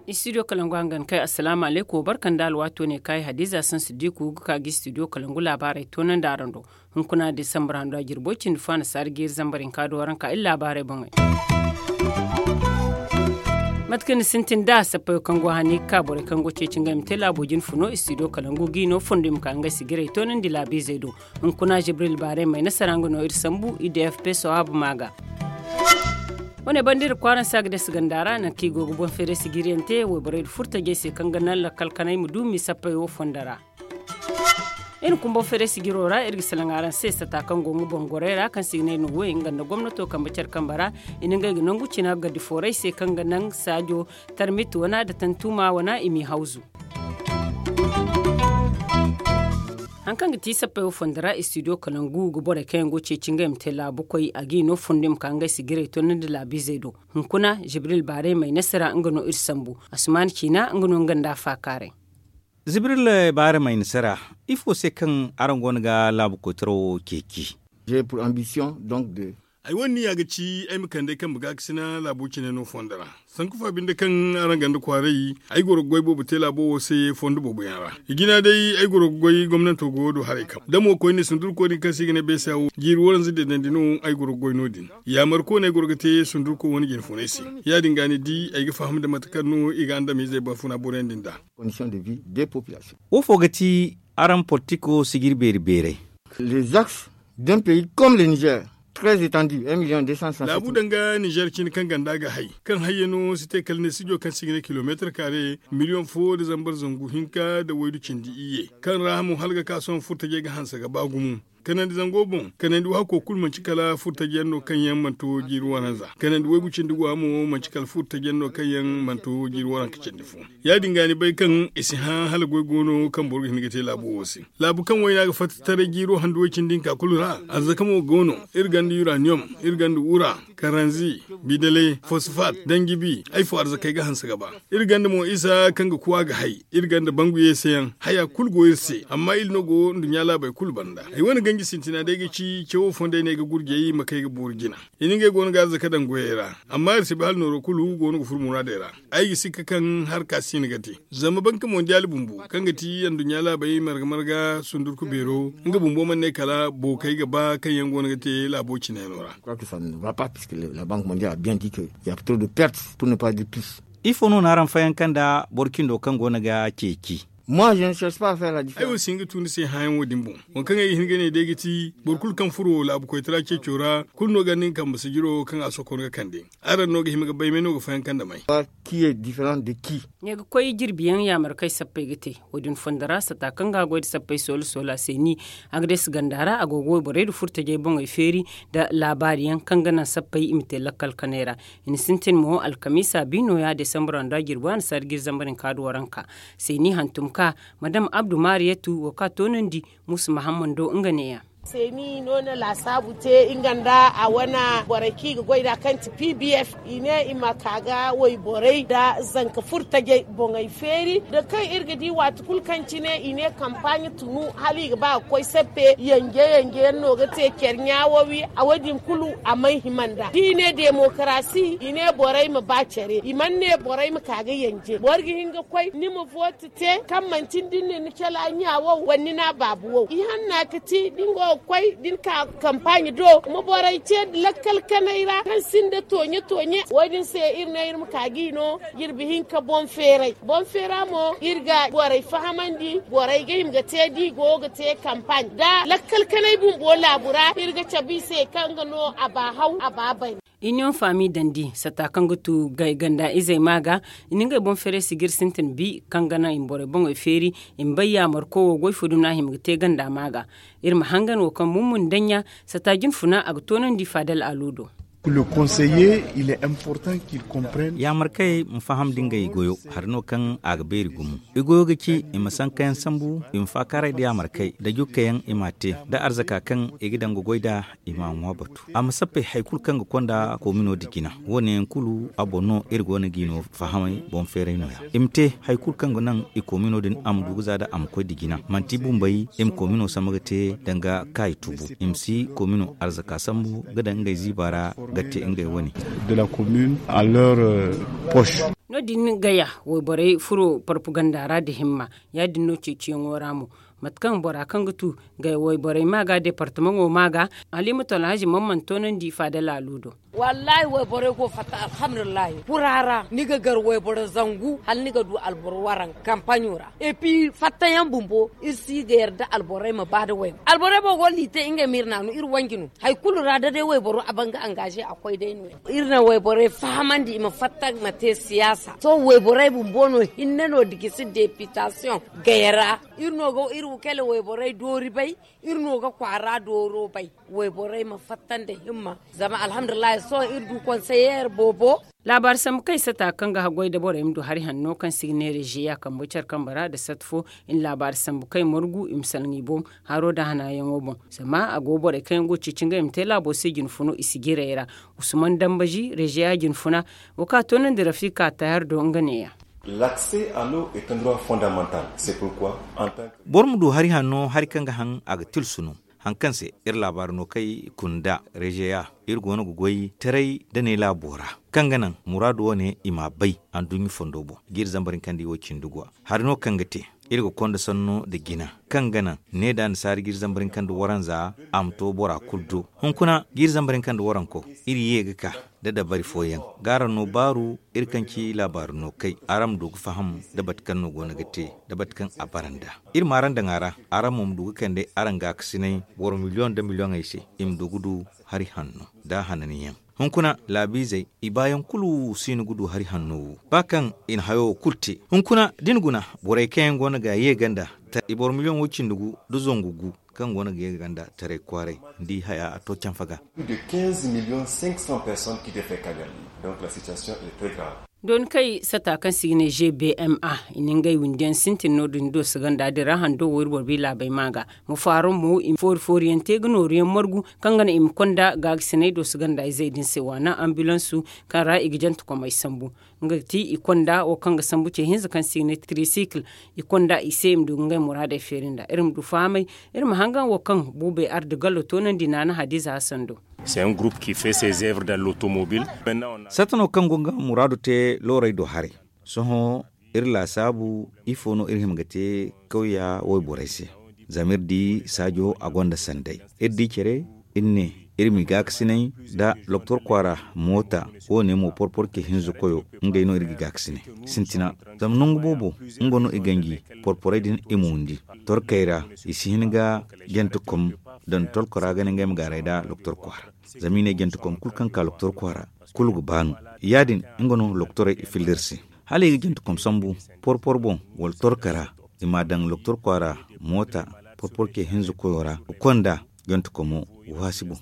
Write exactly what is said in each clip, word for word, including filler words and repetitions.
Istidiyo kalangu hangan kay, asalaamu aleykum, barka nda alwaato ne kaayi hadiza sansidiku ga ka ga istidiyo kalangu laabaarey toonandi araŋ do. Hunkuna disambar hando a jirbo cindi fo a na saari ga iri zambar hinka do waranka iri laabaarey boŋey. Mate kaŋ ni sintin da sappayo kaŋ go hane ga ka borey kaŋ go ceeci ngey ma te laabo jine funo istidiyo kalangu ga i no fondo i ma ka ngey sigirey toonandi laabiizey do. Hunkuna jibril baarey may nasara nga no iri sambu i d f p sawaabu ma ga. Wane banda iri kwaaraŋ se a ga dasi ganda ra nangu kaŋ i go ga boŋ feeray sigiriyaŋ te wayborey nda furtajey se kaŋ ga naŋ lakkal kanay ma du m'i sappey wo fondo ra. Iri kumbo feeray sigiro ra iri ga salaŋ araŋ se sata kaŋ go nga boŋ gorey ra kaŋ se i ga ne no way nga nda gomnato kambe care kambe ra. I na ngey ga nangu cina gardi foorey se kaŋ ga naŋ saajo tarmit wana nda tantuma wana i m'i hawzu. Hari kaŋ ga ti sappey wo fondo ra istidiyo kalangu ga borey kaŋ yaŋ go ceeci ngey ma te laabukoy a ga i no fondo i ma ka ngey sigirey toonandi laabiizey do. Hunkuna jibril baarey may nasara nga no iri sambu. Asumaani ciina nga no nga nda a faakaaray. Zibril baarey may nasara. Ifo se kaŋ araŋ go no ga laabu koytaro ceeci? Ay wane niya ga ci ay ma kande kambe gaakasina laabo cine no fondo ra. Sanku fa binde kaŋ araŋ ganda kwaaray ay goro ga goy boobo te laabo wo se fondo boobo yaŋ ra. I jina day ay goro ga goy gomnanto go do haray kam da mo koyne sundurko din kaŋ se i ga ne beesa wo jiiri waranza deedandi no ay goro ga goy no- din. Yaamar koone ay goro ga te sundurko wane jine funay se. Ya- din ga ni di ay ga faham nda mate kaŋ no i ga andamiizey ba funa boroyaŋ din da. Wo fo ga ti araŋ politiko sijiri beeri beeray? Les axes d'un pays comme le niger très étendu un million deux cent soixante laabu danga niger cine kaŋ ganda ga hay kaŋ hayyaŋo si te kala ne sijo kaŋ si ga ne kilomeetar kaare miliyoŋ fo nda zambar zangu hinka nda waydu cindi iyye kaŋ ra mo hala ga ka sohõ furtajey ga hanse ga ba gumo. Kanandi zango boŋ kanandi waako kulu manci kala furtajiyaŋ no kaŋ yaŋ mana to jiiri waranza kanandi waygu cindi go a mo manci kala furtajiyaŋ no kaŋ yaŋ mana to jiiri waranka cindi fo. Ya- din ga ni bay kaŋ i si hã hala goy go no kaŋ boro ga hin ga te laabo wo se. Laabu kaŋ wayna ga fatta taray jiiro handu way cindi hinka kulu ra. Arzaka mo go no, iri ganda uraniyom, iri ganda wura, karanzi, bidale, fosfat, danjibi, ay fo arzakey ga hanse ga ba. Iri ganda mo isa kaŋ ga kuwa ga hay. Iri ganda bangu yeeseyaŋ haya kulu go iri se amma iri no go nduɲɲa laabey kulu banda. Ay wane ganji sintina day ga ci cawo fondey no ay ga gurjey ma kay ga boori jina. I na ngey go no ga arzaka daŋ goyey ra. Amma iri si bay hala nooro kulu go no ga furo muraadey ra. Ay ga sikka kaŋ harka si no ga te zama banka mondiyaali bumbo kaŋ ga ti anduɲɲa laabey marga marga sundurku beero, nga bumbo mana ne kala bookey ga ba kaŋ yaŋ go no ga te laabo cine no ra. Ifo no na araŋ fayanka nda boro cindo kaŋ go no ga ceeci? Ay wo si hin ga tu ni se hãayaŋo din boŋ. Waŋ kaŋ ay ga hin ga ne day ga ti boro kulu kaŋ furo laabu koytara ceeco ra kulu no ga ni nga kambe sijiro kaŋ a sokon ga kande. Araŋ no ga hima ga bay may no ga fayanka nda may? Ne ga koy jirbi yaŋ yaamar kaŋ ay sappey ga te. Wo- din fondo ra sata kaŋ ga a goy nda sappey soola soola se ni a ga deesi ganda ra a go ga wayborey nda furtajey boŋey feeri nda laabaari yaŋ kaŋ ga naŋ sappey i ma te lakkal kanay ra. I na sintin mo alkamiisa bi nooya desambar ra nda jirbi a na saari ga iri zambar hinka nda waranka. Se ni hantum ka madam abdu maariyatu wo kaŋ a toonandi muusa mahammando nga neeya. Se ni no na laasaabu te nga nda a wane borey kaŋ i ga goy nd'a kaŋ ti p b f. I ne i ma ka ga wayborey nda zanka furtajey boŋey feeri nda kaŋ iri ga di waati kulu kaŋ cine i ne kampaaɲe tunu hala i ga ba ga koy sappe yanje yanje yaŋ no ga te care ɲaawowi a wo- din kulu a mana hima nd'a da i ne demokarasi i ne borey ma ba care i mana ne borey ma ka ga yanje boro ga hin ga koy ni ma vooti te kaŋ manti ni da ni na ni cala ɲa wow wala ni na a baabu wow ihanna ga ti da ni go ga koy da ni ka kampaaɲe do ma borey te lakkal kanay ra kaŋ sinda tooɲe tooɲe wo- din se iri ne iri ma ka ga i no jirbi hinka boŋ feeray boŋ feera mo iri ga borey fahamandi borey ga hima ga te da i go ga te kampaaɲe nda lakkal kanay bumbo laabu ra iri ga cabe i se kaŋ ga no a ba haw a ba bay. Iniyoŋ faami dandi sata kaŋ ga tu gay ganda izey ma ga i na ngey boŋ feeray sijir sintin bi kaŋ ga naŋ i ma borey boŋey feeri i ma bay yaamarko wo goy fo dumi no a hima ga te ganda ma ga. Iri ma hangan wo kaŋ mummun daŋ ɲa sata jinfuna a ga toonandi faadal alu do. Yaamarkey ma faham da ngey goyo hari no kaŋ a ga beeri gumo. I goyo ga ci i ma sankayaŋ sambu, i ma faakaaray da yaamarkey da jukkayaŋ i m'a te, da arzaka kaŋ i ga daŋ ga goy nd'a, i m'a ŋwa batu. A ma sappey hari kulu kaŋ ga konda koomino nda jina. Wo- ne yaŋ kulu a boŋ no iri go no g'i no fahamay boŋ feeray no- ya. I ma te hari kulu kaŋ ga naŋ i koomino din a ma du ga za nda a ma koy nda jina. Manti bumbey i ma koomino sambu ga te danga kaayi tubu. I ma si koomino arzaka sambu ga daŋ ngey ziiba ra ga te ngey wane. No- din gaya wayborey furo parpaganda ra nda himma. Ya- din no ceeciyaŋo ra mo, mate kaŋ bora kaŋ ga tu gaya wayborey ma ga departamaŋo ma ga, haliimatu alhazi man mana toonandi faada laalo do. Wallaahi wayborey go fatta alhamdulillahi kura ra ni ga gar wayboro zangu hala ni ga du alboro waranka kampaɲo ra. Epi fattayaŋ bumbo iri si ga yarda alborey ma ba nda wayboro alborey boŋ go no i te ngey ma iri naanu iri wanji no. Hari kulu ra da day wayboro a ban ga angaze a koy day no- ya. Iri na wayborey fahamandi i ma fatta ma te siyaasa sohõ wayborey bumbo no hinne no da gisi depitasiyoŋ gaya ra. Iri no ga iri kala wayborey doori bay. Iri no ga kwaara dooro bay. Wayborey ma fatta nda himma. Zama alhamdulillahi sohõ iri du konseyeer boobo. Laabaari sambu kaŋ i sata kaŋ ga haggoy nda borey ma du hari hanno kaŋ se i ga ne reziya kambe care kambe ra nda sat fo. I na laabaari sambu kaŋ i margu i ma salaŋ i boŋ haro nda hanayaŋo boŋ. Zama a go borey kaŋ yaŋ go ga ceeci ngey ma te laabo se jinfuno i si jiray ra. Usman dambazi reziya jinfuna wo kaŋ a toonandi rafika tayar do nga neeya. Boro ma du hari hanno hari kaŋ ga haŋ a ga tilsu no. Hari kaŋ se iri laabaari no kay kunda rezeya iri go no ga goy taray da ne laabo ra, kaŋ ga naŋ muraadu wane i m'a bay anduɲɲa fondo boŋ ga iri zambar hinka nda i wo cindi go a. Hari no kaŋ ga te iri ga konda sanno nda jina, kaŋ ga naŋ ne da annasaari ga iri zambar hinka nda waranza a ma to bora kulu do. Hunkuna ga iri zambar hinka nda waranko iri ye ga ka da dabari fooyaŋ ga araŋ no baaru. Iri kaŋ ci laabaari no kay araŋ ma du ga faham da bate kaŋ no go no ga te da bate kaŋ a bara nd'a. Iri ma araŋ daŋ a ra, araŋ mo ma du ga kande araŋ gaakasinay boro miliyoŋ nda miliyoŋey se, i ma du ga du hari hanno nda hananyaŋ. Hunkuna laabiizey i baayaŋ kulu si no ga du hari hanno wo ba kaŋ i na hayo wo kulu te. Hunkuna da ni guna borey kaŋ yaŋ go no ga ye ganda, i boro miliyoŋ wo cindi gu nda zangu gu kaŋ go no ga ye ganda taray kwaaray, ni di haya a to canfa ga. Dooni kay sata kaŋ se i ga ne gbma i na ngey windi yaŋ sintin no- din dooso ganda din ra hando wo iri boro bay laabey ma ga ma faaro mo i ma foori foori yaŋ te ga nooru yaŋ margu kaŋ ga naŋ i ma konda gaagasiney dooso ganda izey din se waana ambilansu kaŋ ra i ga jantekomey sambu. Nga ga ti i konda wo kaŋ ga sambu ce hinza kaŋ se i ga ne tirisikil. I konda i se i ma du ga ngey muraadey feeri nd'a iri ma du fahamay. Iri ma hangan wo kaŋ buubey arda gallo toonandi naana hadiza hasan do. Satta no kaŋ go ga muraadu te loorey do haray. Sohõ iri laasaabu ifo no iri hima ga te kawya wayborey se? Zama iri di saajo a gonda sanday. Iri di care iri ne iri m'i gaakasinay nda loktor kwaara moota. Wo- ne mo porpor ce hinza koyo ngey no iri ga gaakasinay sintina. Zama nangu boobo nga no i ganji porporey din i ma windi torkey ra. I si hin ga jantekom daŋ tolko ra ga ne ngey ma gaaray nda loktor kwaara. Zama i ne jantekom kulu kaŋ ka loktor kwaara kulu ga ba no. Ya- din nga no loktorey i filla iri se hala i ga jantekom sambu porpor boŋ wala torka ra. I m'a daŋ loktor kwaara moota porpor ce hinza koyo ra ga konda jantekomo waasi boŋ.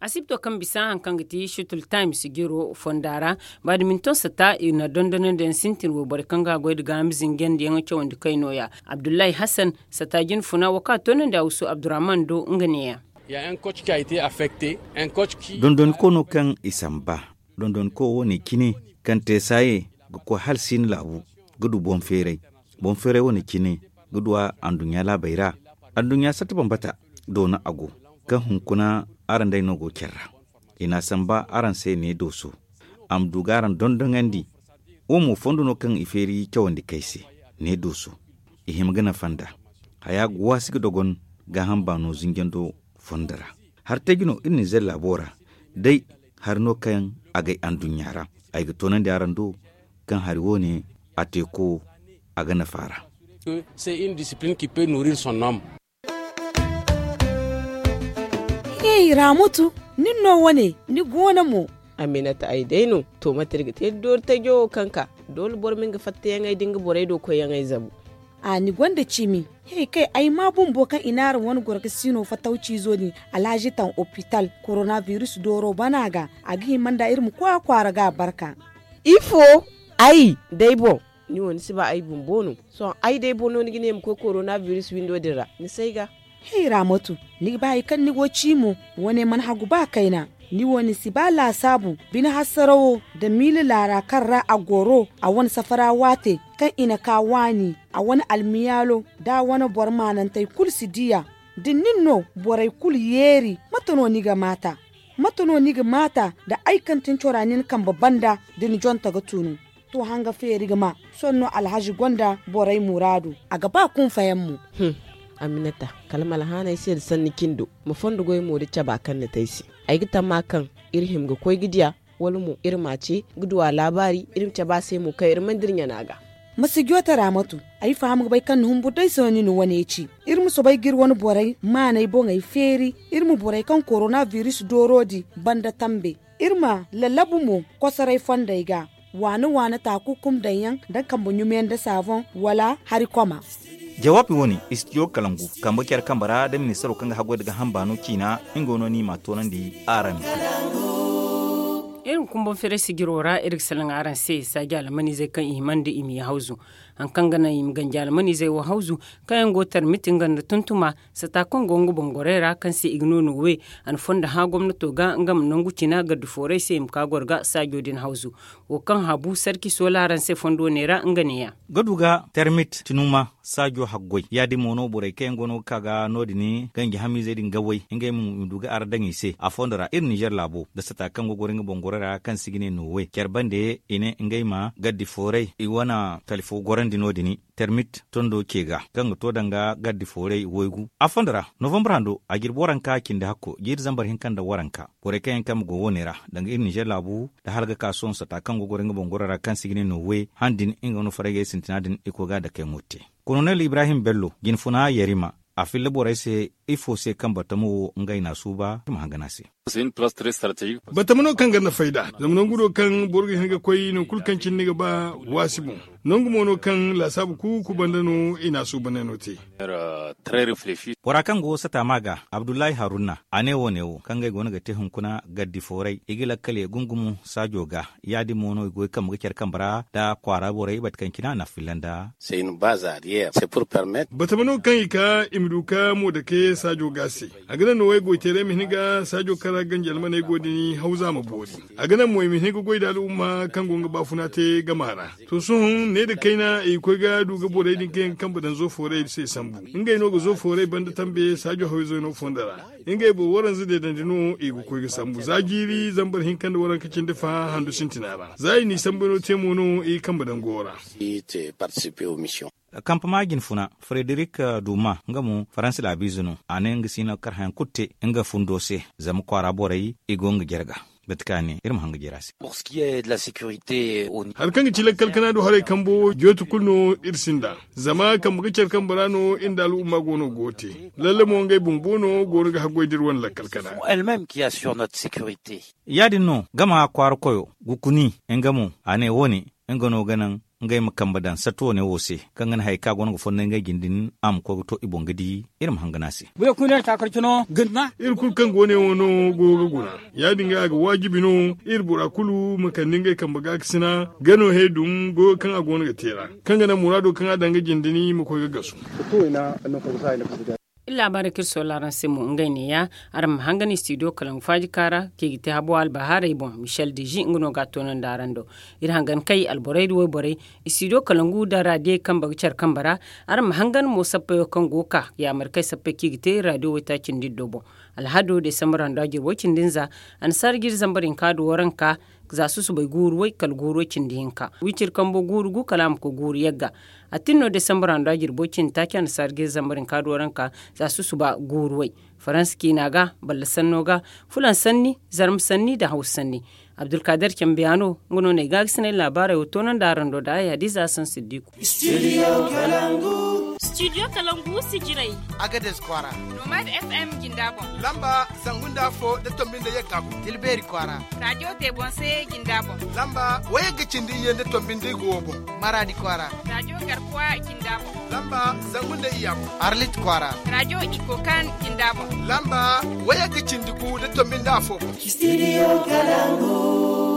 Asibto kaŋ bisa hari kaŋ ga ti shutul times jiro fonda ra. Baadminton sata i na dondonandi yaŋ sintin wo borey kaŋ ga goy nda gaaham zinjandiyaŋ cawandi kay nooya. Abdullahi hassan sata jinfuna wo kaŋ a toonandi a wusu abdurrahman do nga neeya. Dondoniko no kaŋ i samba dondoniko wo- ne cine kaŋ te saaye ga koy hala siina laabu ga du boŋ feeray. Boŋ feeray wo- ne cine ga du a anduɲɲa laabey ra. Anduɲɲa satta bambata doona a go kaŋ hunkuna araŋ day no go care ra. I n'a samba araŋ se ne dooso a ma du ga araŋ dondoŋandi. Wo mo fondo no kaŋ i feeri cawandi kay se ne dooso i hima ga nafa nd'a. Haya ga waasi ga dogon gaaham baano zinjando fondo ra. Hari teeji no iri na zella bo ra day hari no kaŋ a gay anduɲɲa ra. Ay ga toonandi araŋ do kaŋ hari wo- ne a teeko a ga nafa ra. Hey ramutu, nin no wane ni goono mo? Aminata ay day no. To mate iri ga te da doori tajo wo kaŋ ka doole boro ma nga fattayaŋey da nga borey do koyyaŋey zabu. A ni gonda cimi. He kay ay ma bumbo kaŋ i n'araŋ wane gorgasiino fatawciizo din, alhazi taŋ opital, korona biris dooro bana ga. A ga hima nda iri ma koy a kwaara ga a barka. Ifo? Ay day boŋ. Ni wo ni si ba ay bumbo no? Sohõ ay day boŋ no ni ga ne ma koy korona biris windo din ra? Ni si ay ga. Hey raamatu, ni ga ba hari kaŋ ni go ci mo? Wane mana hagu ba kayna. Ni wo ni si ba laasaabu bine hasarawo, nda miila laara kaŋ ra a goro a wane safara waate, kaŋ i na ka waani a wane almiyaalo, nda a wane boro maanantey kulu si diya. Da nin no borey kulu yeeri, mate no ni ga maata? Mate no ni ga maata? Da ay kaŋ tin cora nin kambe banda da ni jonta ga tunu. To hanga feeri ga ma. Sohõ no alhazi gonda borey muraadu, a ga ba kunfayaŋ mo. Aminata, kala ma alhaanay se nda sanni cindo, ma fondo goy mo da caba kaŋ ni te ay se. Ay ga tamma kaŋ iri hima ga koy ga diya, wala mo iri ma a ce ga du a laabaari, iri ma cabe a se mo kaŋ iri mana dira ɲana ga. Ma si joote raamatu. Ay faham ga bay kaŋ ni humburu day se no ni na wane ci. Iri ma soobay ga iri wane borey maanay boŋey feeri. Iri ma borey kaŋ korona biris dooro di banda tambe. Iri ma lallabu mo kosoray fondey ga, waana waana taaku kum daŋ yaŋ, nda kambe ɲumiyaŋ nda saaboŋ, wala hari koma. Jawaabi wo- ne, istidiyo kalangu kambe care kambe ra nda ministaro kaŋ ga haggoy nda ga hambaano ciina, nga no ni ma a toonandi araŋ. Iri ma kumbaŋ feeray sijiro ra iri ga salaŋ araŋ se saaji almaniizey kaŋ i hima nda i ma ye hawzu. Hari kaŋ ga naŋ i ma ganji almaniizey wo hawzu, kaŋ yaŋ go tarmiti nga nda tuntuma, sata kaŋ go nga boŋ gorey ra kaŋ se i ga no noowe. A na fondo hã gomnato ga nga ma nangu cina gardi foorey se i ma ka goro ga saajo din hawzu. Wo kaŋ habu sarki soola araŋ se fondo neera nga neeya. Ga du ga tarmit tinuma saajo haggoy ya- din mo no borey kaŋ yaŋ go no ga ka ga no- din ganji hamiizey din gawey ngey mo i ma du ga ara daŋ i se a fondo ra iri ninzeer laabo nda sata kaŋ go goro nga boŋ gorey ra kaŋ se i ga ne noowe care bande i ne ngey ma gardi foorey i wane talifo gorandi no- din. Termit tondo ce ga kaŋ ga to danga gardi foorey waygu a fondo ra novambar hando a jirbi waranka cindi hakko jiiri zambar hinka nda waranka. Borey kaŋ yaŋ kambe go wo- ne ra danga iri ninzeer laabu nda hala ga ka sohõ sata kaŋ go goro nga boŋ goro ra kaŋ se i ga ne no we han din nga no faragey sintina din i koy ga a dake yaŋo te. Kolonel ibrahim bello jinfuna yarima a filla borey se ifo se kaŋ batamo wo ngey na a suuba i ma hangan a se. Batama no kaŋ ga nafa ay nd'a zama nangu no kaŋ boro ga hin ga koy nangu kulu kaŋ cine ni ga ba waasi boŋ. Nangu mo no kaŋ laasaabu kuuku banda no i na a suubaney no te. Bora kaŋ go sata ma ga abdullahi haruna a ne wo- ne wo kaŋ ngey go no ga te hunkuna gardi fooray i ga lakkal ye gungumo saajo ga. Ya- din mo no i go ga kambe ga care kambe ra nda kwaara borey bate kaŋ cine a na a filla nda. Batama no kaŋ i ka i ma du ka mo dake saajo ga se. A ga naŋ no waygoyteeray ma hin ga saajo kaŋ ra ganji almaney go din hawza ma boori. A ga naŋ mo i ma hin ga goy nda al'umma kaŋ go nga baafuna te gama ra. To sohõ ne nda kayna i ga koy ga du ga borey din kaŋ yaŋ ga kambe daŋ zo fooray se sambu. Ngey no ga zo fooray banda tambe saajo hawizey no fondo ra. Ngey boro waranza deedandi no i ga koy ga sambu za jiiri zambar hinka nda waranka cindi fa handu sintina ra za i n'i sambu no te mo no i ga kambe daŋ go ra. Kampama jinfuna frederik duma nga mo faransa laabiize no a ne nga si no ga kar hayaŋ kulu te nga fundo se. Zama kwaara borey i go nga jare ga. Mate kaŋ a ne iri ma haŋ ga jare a se. Hari kaŋ ga ci lakkal kana do haray kambo jooti kulu no iri sinda zama kambe ga care kambe ra no iri nda al'umma go no go ga te. Lalle mo ngey bumbo no go no ga haggoy da iri wane lakkal kana. Ya- din no gama kwaara koyo gukuni nga mo a ne wo- ne nga no ga naŋ ngey ma kambe daŋ satta wane wo se kaŋ ga naŋ hari kaŋ a go no ga fondo ngey jine din a ma koy ga to i boŋ ga di. Iri ma hangan a se. Iri kulu kaŋ go ne wo no go ga guna. Ya- din ga a ga waajibi no iri bora kulu ma kande ngey kambe gaakasina ga no he dum goyo kaŋ a go no ga te ra kaŋ ga naŋ muraado kaŋ a daŋ ga jine din ma koy ga gasu. Iri laabaarey kaŋ iri soola araŋ se mo ngey neeya. Araŋ ma hangan istidiyo kalaŋ faaji kaara kaŋ i ga te habo albahaarey boŋ michel deji nga no ga a toonandi araŋ do. Iri hangan kay alborey da wayborey istidiyo kalaŋ gu nda raadiyey kambe ga care kambe ra. Araŋ ma hangan mo sappayo kaŋ go ga ka yaamar kay sappey kaŋ i ga te raadiyo waytaaci nda iddo boŋ. Alhado desambar hando a jirbo cindi nza annasaara jiiri zambar hinka nda waranka za susubay guuru way kala guuru way cindi hinka wiciri kambo guuru gu kala a ma koy guuru yagga. A tin no desambar hando a jirbo cindi taaci annasaara jiiri zambar hinka nda waranka za susuba guuru way. Faransa ciina ga balla sanno ga fulaŋ sanni zarma sanni nda hawsa sanni. Abdulkader cambiya no nga no na ay gaagasinay laabaarey wo toonandi araŋ do nda ay hadiza hasan siddiku. Studio kalangu sijirey. Agades kwaara. Nomad FM jinda boŋ. Lamba zangu nda afo da tombi nda yagga boŋ. Tilbeeri kwaara. Radio tebonse jinda boŋ. Lamba wayagga cindi iyye nda tombi nda igo boŋ. Maradi kwaara. Radio garkuwa jinda boŋ. Lamba zangu nda iyya boŋ. Arlit kwaara. Radio ikokan jinda boŋ. Lamba wayagga cindi gu da tombi nda afo boŋ. Studio kalangu.